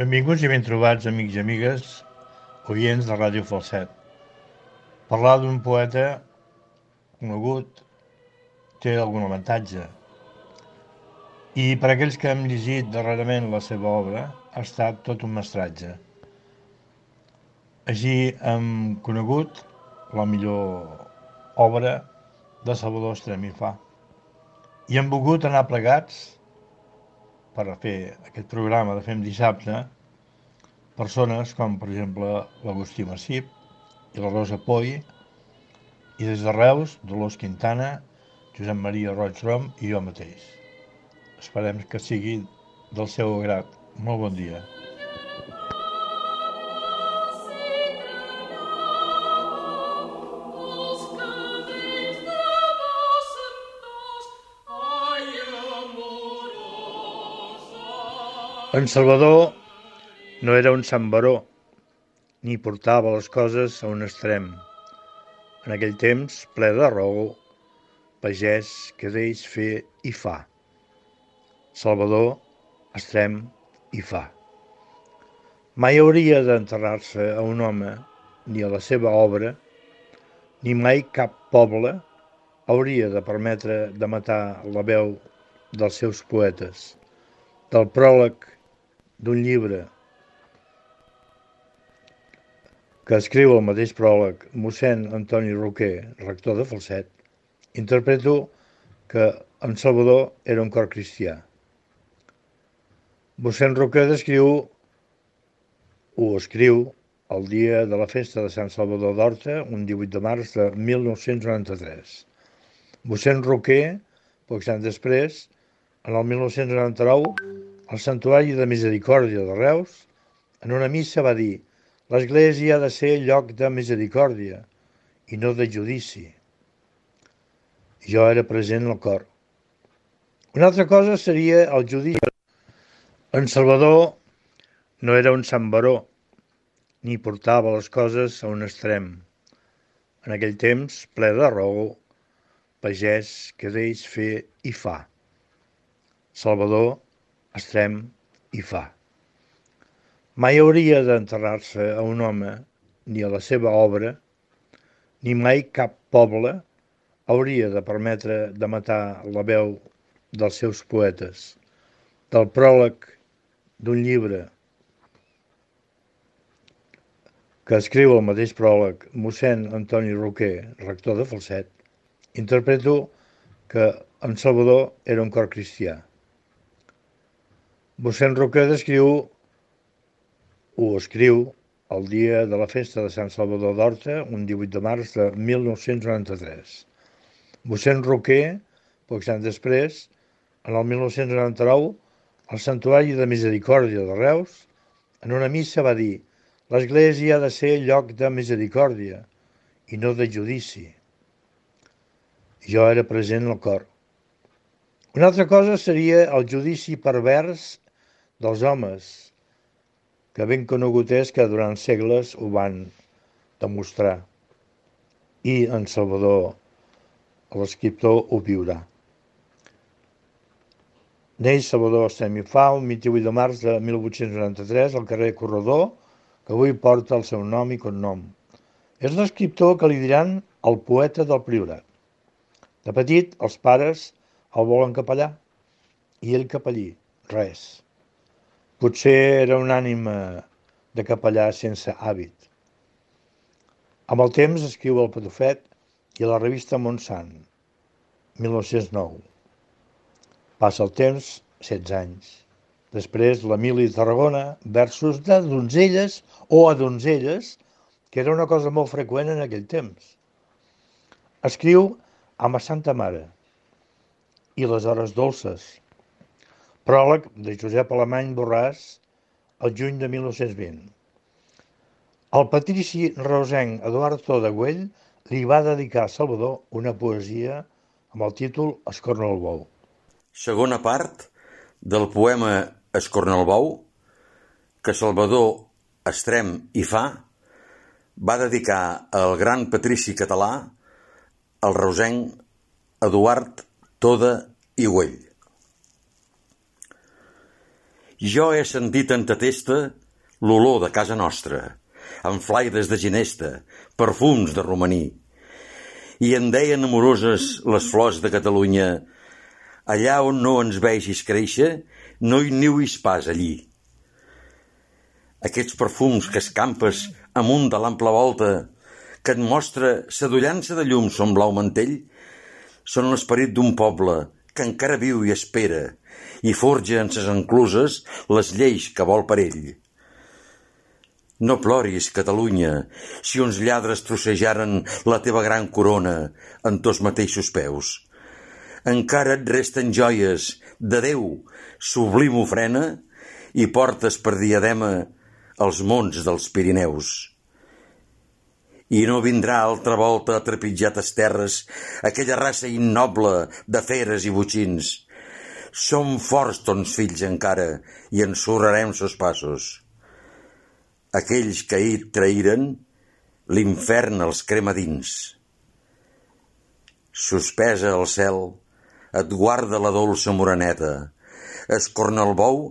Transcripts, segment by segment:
Benvinguts i ben trobats, amics i amigues, oients de Ràdio Falset. Parlar d'un poeta conegut té algun avantatge, i per a aquells que hem llegit darrerament la seva obra ha estat tot un mestratge. Així hem conegut la millor obra de Salvador Estrem i Fa. I hem volgut anar plegats per a fer aquest programa de Fem Dissabte persones com, per exemple, l'Agustí Massip i la Rosa Poy, i des de Reus, Dolors Quintana, Josep Maria Roig Rom i jo mateix. Esperem que sigui del seu agrat. Molt bon dia. En Salvador no era un sant baró, ni portava les coses a un extrem. En aquell temps, ple de raó, pagès que deix fer i fa. Salvador, extrem i fa. Mai hauria d'enterrar-se a un home, ni a la seva obra, ni mai cap poble hauria de permetre de matar la veu dels seus poetes. Del pròleg d'un llibre que escriu el mateix pròleg mossèn Antoni Roquer, rector de Falset, interpreto que en Salvador era un cor cristià. Mossèn Roquer escriu el dia de la festa de Sant Salvador d'Horta, un 18 de març de 1993. Mossèn Roquer, pocs anys després, en el 1999, al Santuari de Misericòrdia de Reus, en una missa va dir: «L'Església ha de ser lloc de misericòrdia i no de judici». Jo era present al cor. Una altra cosa seria el judici. En Salvador no era un sant baró, ni portava les coses a un extrem. En aquell temps, ple de raó, pagès que deix fer i fa. Salvador, extrem i fa. Mai hauria d'enterrar-se a un home, ni a la seva obra, ni mai cap poble hauria de permetre de matar la veu dels seus poetes. Del pròleg d'un llibre que escriu el mateix pròleg mossèn Antoni Roquer, rector de Falset, interpreto que en Salvador era un cor cristià. Mossèn Roquer escriu el dia de la festa de Sant Salvador d'Horta, un 18 de març de 1993. Mossèn Roquer, pocs anys després, en el 1999, al Santuari de Misericòrdia de Reus, en una missa va dir: «L'Església ha de ser lloc de misericòrdia i no de judici». Jo era present al cor. Una altra cosa seria el judici pervers dels homes, que ben conegut és que durant segles ho van demostrar. I en Salvador, l'escriptor, ho viurà. Neix Salvador Estrem i Fa el 28 de març de 1893 al carrer Corredor, que avui porta el seu nom i cognom. És l'escriptor que li diran el poeta del Priorat. De petit, els pares el volen capellà, i ell capellí, res. Potser era una ànima de capellà sense hàbit. Amb el temps escriu El Patufet i a la revista Montsant, 1909. Passa el temps, 16 anys. Després l'Emili Tarragona, versos de donzelles o a donzelles, que era una cosa molt freqüent en aquell temps. Escriu Amb a Santa Mare i Les hores dolces, pròleg de Josep Alemany Borràs, el juny de 1920. El patrici reusenc Eduard Tó de Güell li va dedicar a Salvador una poesia amb el títol Escorna el bou. Segona part del poema Escorna el bou, que Salvador Estrem i Fa va dedicar al gran patrici català, el reusenc Eduard Toda i Güell. Jo he sentit en ta testa l'olor de casa nostra, amb flaires de ginesta, perfums de romaní. I em deien amoroses les flors de Catalunya, allà on no ens vegis créixer, no hi niuis pas allí. Aquests perfums que escampes amunt de l'ample volta, que et mostra sadollança de llum son blau mantell, són l'esperit d'un poble que encara viu i espera i forja en ses encluses les lleis que vol per ell. No ploris, Catalunya, si uns lladres trossejaren la teva gran corona en tos mateixos peus. Encara et resten joies de Déu, sublim ofrena, i portes per diadema els monts dels Pirineus. I no vindrà altra volta a trepitjar tes terres aquella raça innoble de feres i botxins. Som forts tons fills encara i ensorrarem sos passos. Aquells que ahir traïren, l'infern els crema dins. Suspesa al cel, et guarda la dolça moreneta. Escornalbou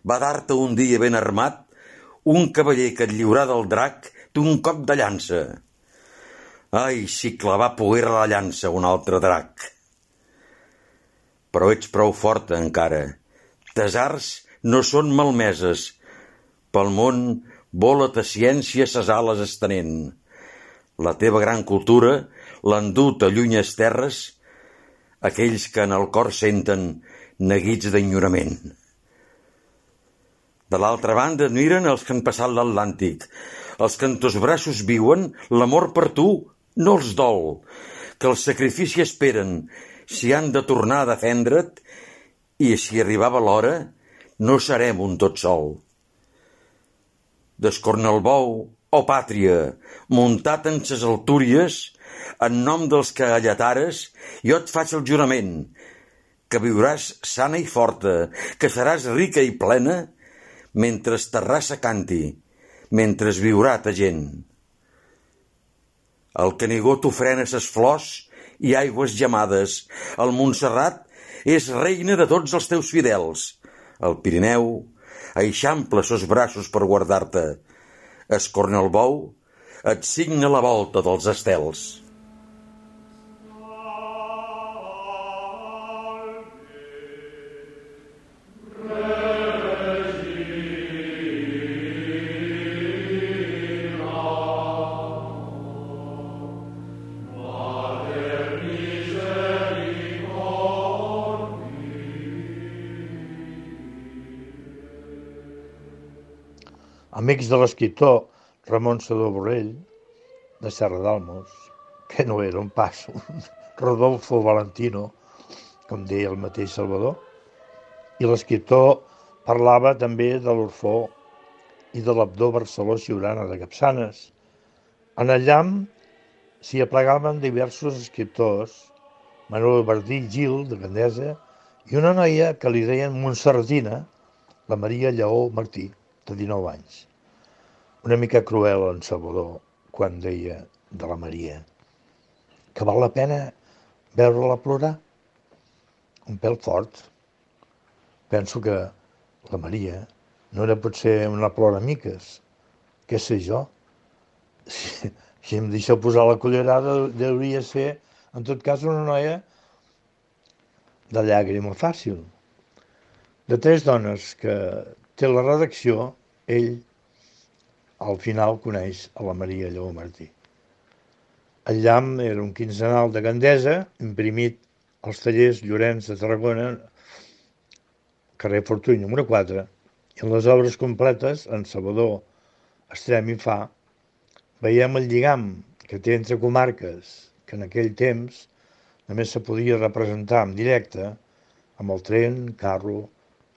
va dar-te un dia ben armat un cavaller que et lliurà del drac d'un cop de llança. Ai, si clavà poguera la llança un altre drac. Però ets prou forta encara. Tes arts no són malmeses. Pel món vola ta ciència ses ales estenent. La teva gran cultura l'han dut a llunyes terres aquells que en el cor senten neguits d'enyorament. De l'altra banda admiren els que han passat l'Atlàntic, els que en tos braços viuen l'amor per tu no els dol, que el sacrifici esperen si han de tornar a defendre't i si arribava l'hora no serem un tot sol. D'Escornalbou, oh pàtria, muntat en ses altúries, en nom dels que allatares, jo et faig el jurament, que viuràs sana i forta, que seràs rica i plena, mentre ta raça canti, mentre viurà ta gent. El Canigó t'ofrena ses flors i aigües gemades, el Montserrat és reina de tots els teus fidels, el Pirineu eixampla sos braços per guardar-te, Escornalbou et signa la volta dels estels. Amics de l'escriptor Ramon Sedó Borrell, de Serra d'Almos, que no era un pas, un Rodolfo Valentino, com deia el mateix Salvador, i l'escriptor parlava també de l'Orfó i de l'Abdó Barceló Siurana de Capçanes. En el llamp s'hi aplegaven diversos escriptors, Manuel Bardí Gil, de Gandesa, i una noia que li deien Montserratina, la Maria Lleó Martí, de 19 anys. Una mica cruel en Salvador quan deia de la Maria que val la pena veure-la plorar. Un pèl fort. Penso que la Maria no era potser una ploramiques. Què sé jo? Si em deixeu posar la cullerada, hauria ser, en tot cas, una noia de llàgrima fàcil. De 3 dones que té la redacció, ell al final coneix a la Maria Lleó Martí. El llamp era un quinzenal de Gandesa, imprimit als tallers Llorenç de Tarragona, carrer Fortuny número 4, i en les obres completes, en Salvador Estrem i Fa, veiem el lligam que té entre comarques, que en aquell temps només se podia representar en directe, amb el tren, carro,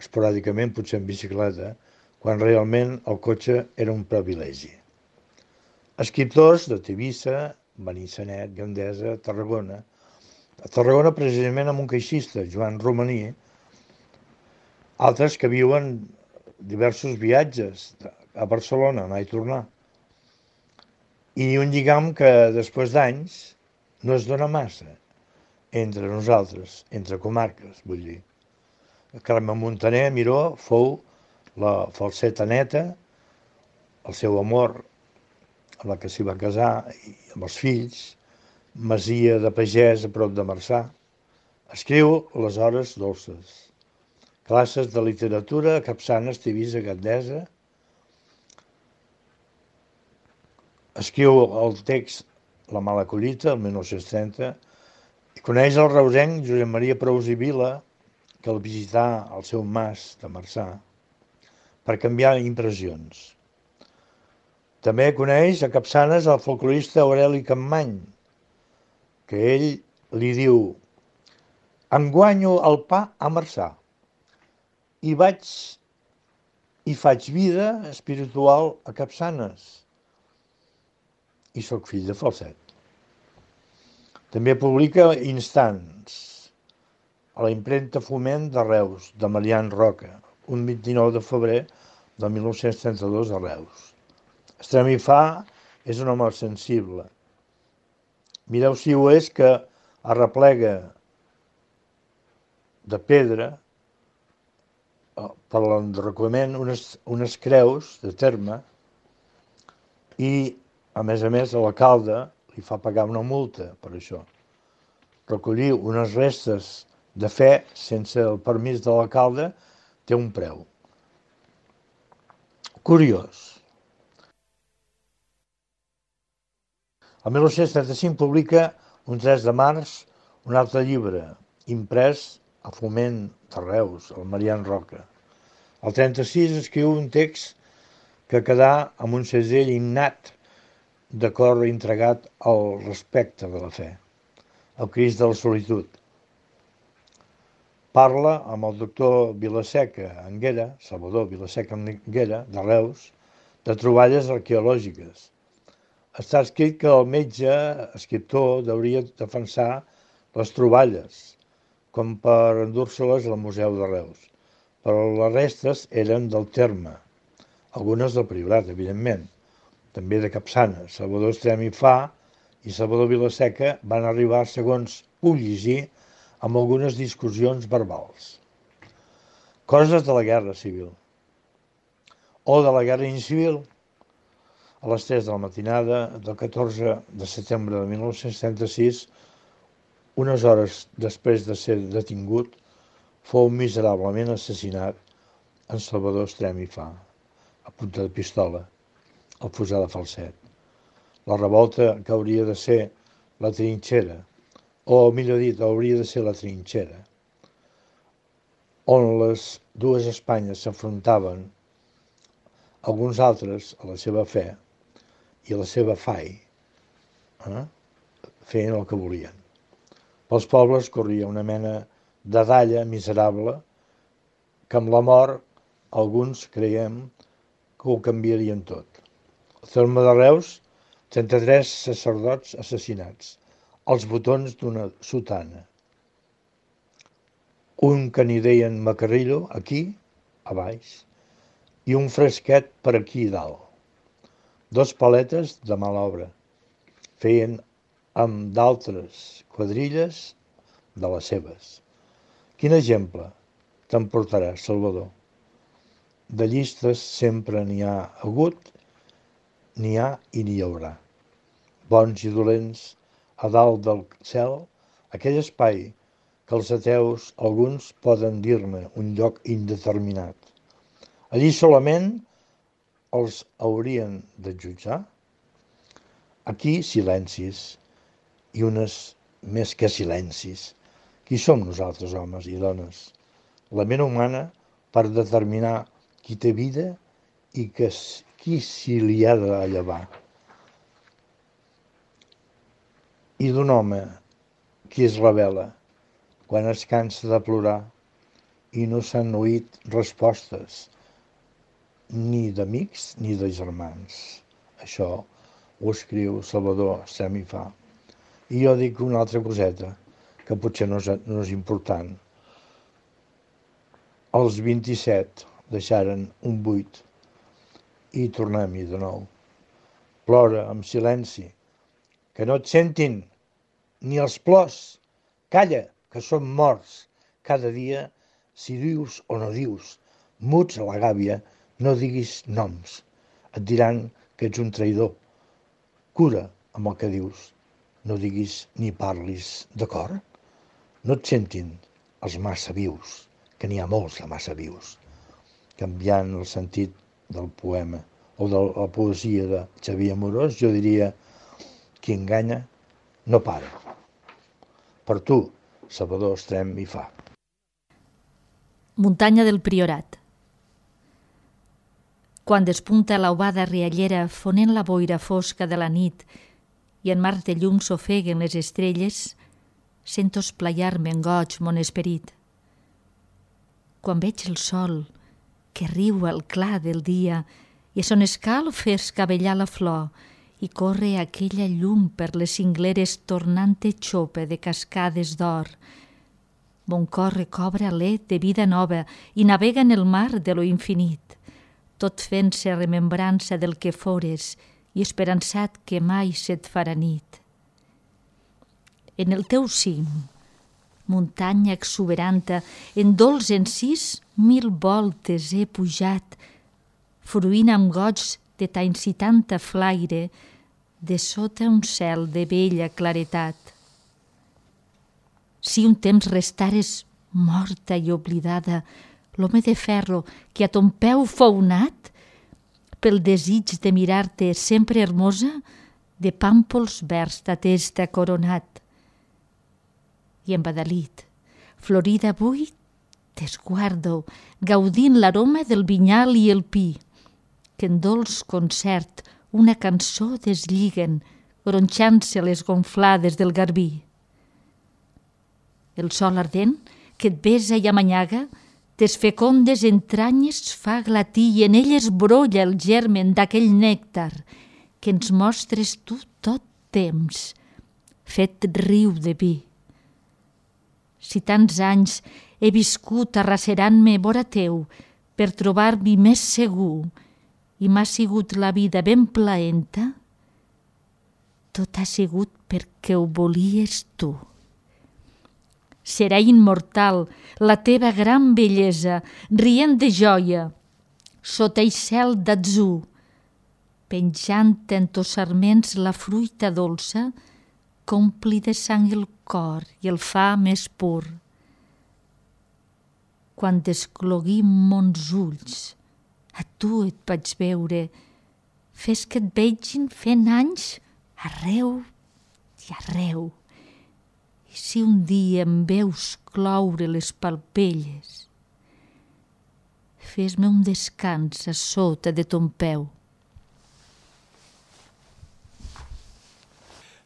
esporàdicament potser en bicicleta, quan realment el cotxe era un privilegi. Escriptors de Tivissa, Benissanet, Gandesa, Tarragona. A Tarragona precisament amb un caixista, Joan Romaní, altres que viuen diversos viatges a Barcelona, anar i tornar. I un lligam que després d'anys no es dona massa entre nosaltres, entre comarques, vull dir. Carme Montaner, Miró, fou la falseta neta, el seu amor, amb la que s'hi va casar, i amb els fills, masia de pagès a prop de Marçà. Escriu Les hores dolces, classes de literatura a Capçanes, Tivissa, Gandesa. Escriu el text La mala collita, el 1930, i coneix el reusenc Josep Maria Prous i Vila, que el visità al seu mas de Marçà per canviar impressions. També coneix a Capçanes el folclorista Aureli Capmany, que ell li diu: em guanyo el pa a Marçà i faig vida espiritual a Capçanes i sóc fill de Falset. També publica Instants a la impremta Foment de Reus, de Marian Roca, un 29 de febrer de 1932 a Reus. Estremifà és un home sensible. Mireu si ho és, que arreplega de pedra per l'enderrocament unes creus de terme i, a més, l'alcalde li fa pagar una multa per això. Recollir unes restes de fe sense el permís de l'alcalde té un preu. Curiós. El 1935 publica, un 3 de març, un altre llibre, imprès a Foment de Reus, el Marian Roca. El 36 escriu un text que quedà amb un segell innat de cor entregat al respecte de la fe, el Crist de la solitud. Parla amb el doctor Vilaseca Anguera, Salvador Vilaseca Anguera, de Reus, de troballes arqueològiques. Està escrit que el metge escriptor hauria defensar les troballes, com per endur-se-les al Museu de Reus, però les restes eren del terme, algunes del Priorat, evidentment, també de Capçanes. Salvador Estremifà i Salvador Vilaseca van arribar, segons puc llegir, amb algunes discussions verbals. Coses de la Guerra Civil o de la Guerra Incivil. A les 3 de la matinada del 14 de setembre de 1936, unes hores després de ser detingut, fou miserablement assassinat en Salvador Estremifà, a punta de pistola, al fossar de Falset. La revolta que hauria de ser la trinxera, o millor dit, hauria de ser la trinxera, on les dues Espanyes s'afrontaven, alguns altres a la seva fe i a la seva fai, feien el que volien. Pels pobles corria una mena de dalla miserable que amb la mort alguns creiem que ho canviarien tot. Al terme de Reus, 33 sacerdots assassinats, als botons d'una sotana. Un que n'hi deien Macarrillo, aquí, a baix, i un fresquet per aquí dalt. 2 paletes de mala obra. Feien amb d'altres quadrilles de les seves. Quin exemple t'emportaràs, Salvador? De llistes sempre n'hi ha hagut, n'hi ha i n'hi haurà. Bons i dolents, a dalt del cel, aquell espai que els ateus alguns poden dir-ne un lloc indeterminat. Allí solament els haurien de jutjar. Aquí silencis, i unes més que silencis. Qui som nosaltres, homes i dones? La ment humana per determinar qui té vida i qui s'hi li ha de llevar. I d'un home qui es revela quan es cansa de plorar i no s'han oït respostes ni d'amics ni de germans. Això ho escriu Salvador Estremifà. I jo dic una altra coseta, que potser no és important. Els 27 deixaren un buit i tornem-hi de nou. Plora amb silenci, que no et sentin ni els plors. Calla, que som morts cada dia, si dius o no dius, Muts a la gàbia, no diguis noms. Et diran que ets un traïdor. Cura amb el que dius. No diguis ni parlis, d'acord? No et sentin els massa vius, que n'hi ha molts de massa vius. Canviant el sentit del poema o de la poesia de Xavier Amorós, jo diria: qui enganya no para. Per tu, Salvador Estrem i Fa. Muntanya del Priorat. Quan despunta l'aubada riallera fonent la boira fosca de la nit i en mar de llum s'ofeguen les estrelles, sento esplaiar-me en goig mon esperit. Quan veig el sol que riu al clar del dia i a son escalf fer escavellar la flor i corre aquella llum per les cingleres tornant-te xope de cascades d'or, mon cor recobra alè de vida nova i navega en el mar de lo infinit, tot fent-se remembrança del que fores i esperançat que mai se't farà nit. En el teu cim, muntanya exuberanta, en dolç encís 1000 voltes he pujat, fruint amb goig de ta incitanta flaire, de sota un cel de bella claretat. Si un temps restares morta i oblidada, l'home de ferro que a ton peu fou nat, pel desig de mirar-te sempre hermosa, de pàmpols verds ta testa coronat. I embadalit, florida avui, t'esguardo, gaudint l'aroma del vinyal i el pi, que en dolç concert una cançó deslliguen, gronxant-se les gonflades del garbí. El sol ardent, que et besa i amanyaga, tes fecondes entranyes fa glatir i en elles brolla el germen d'aquell nèctar que ens mostres tu tot temps, fet riu de vi. Si tants anys he viscut arracerant-me vora teu per trobar-m'hi més segur i m'ha sigut la vida ben plaenta, tot ha sigut perquè ho volies tu. Serà immortal la teva gran bellesa, rient de joia, sota el cel d'atzur, penjant en tos sarments la fruita dolça, qu'ompli de sang el cor i el fa més pur. Quan descloguim mons ulls, a tu et vaig veure, fes que et vegin fent anys arreu i arreu. I si un dia em veus cloure les palpelles, fes-me un descans a sota de ton peu.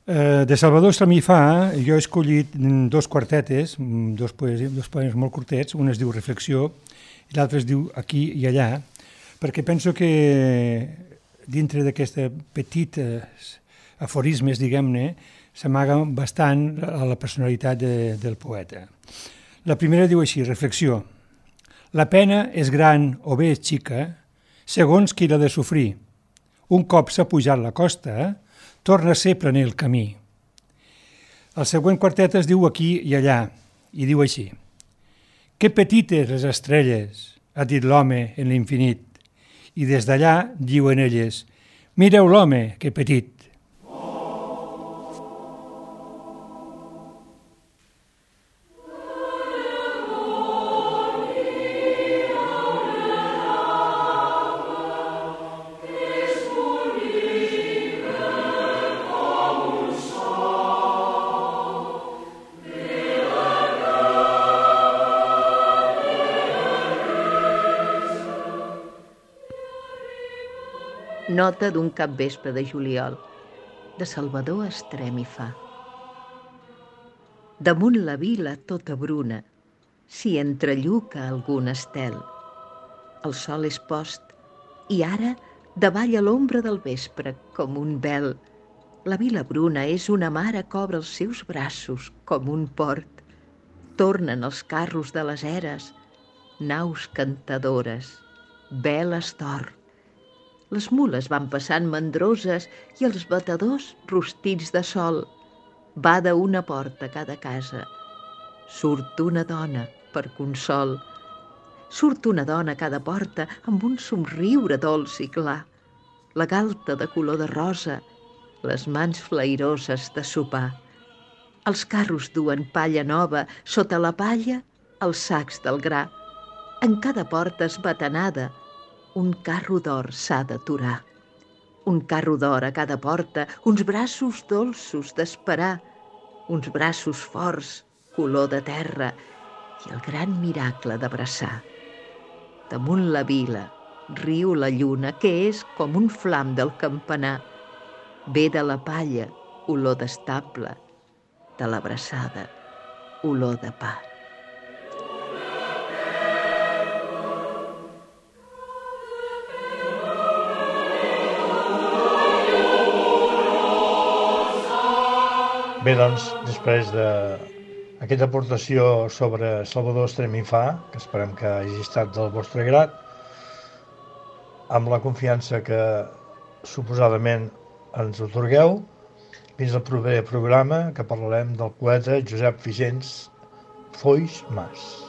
De Salvador Estrem i Fa, jo he escollit dos quartetes, dos poemes molt curtets, un es diu Reflexió i l'altre es diu Aquí i allà, perquè penso que dintre d'aquestes petites aforismes, diguem-ne, s'amaga bastant a la personalitat del poeta. La primera diu així, Reflexió. La pena és gran o bé és xica, segons qui l'ha de sofrir. Un cop s'ha pujat la costa, torna a ser planer el camí. El següent quartet es diu Aquí i allà, i diu així. Que petites les estrelles, ha dit l'home en l'infinit, i des d'allà diuen elles, mireu l'home, que petit. Nota d'un capvespre de juliol, de Salvador Estrem i Fa. Damunt la vila tota bruna, s'hi entrelluca algun estel. El sol és post i ara davalla l'ombra del vespre com un vel. La vila bruna és una mare que obre els seus braços com un port. Tornen els carros de les eres, naus cantadores, veles d'or. Les mules van passant mandroses i els batedors rostits de sol. Bada una porta a cada casa. Surt una dona per consol. Surt una dona a cada porta amb un somriure dolç i clar, la galta de color de rosa, les mans flairoses de sopar. Els carros duen palla nova, sota la palla els sacs del gra. En cada porta esbatanada, un carro d'or s'ha d'aturar. Un carro d'or a cada porta, uns braços dolços d'esperar, uns braços forts, color de terra, i el gran miracle d'abraçar. Damunt la vila riu la lluna, que és com un flam del campanar. Ve de la palla, olor d'estable, de l'abraçada, olor de pa. Bé, doncs, després d'aquesta aportació sobre Salvador Estrem i Fa, que esperem que hagi estat del vostre grat, amb la confiança que suposadament ens atorgueu, fins al proper programa, que parlarem del poeta Josep Vigents Foix Mas.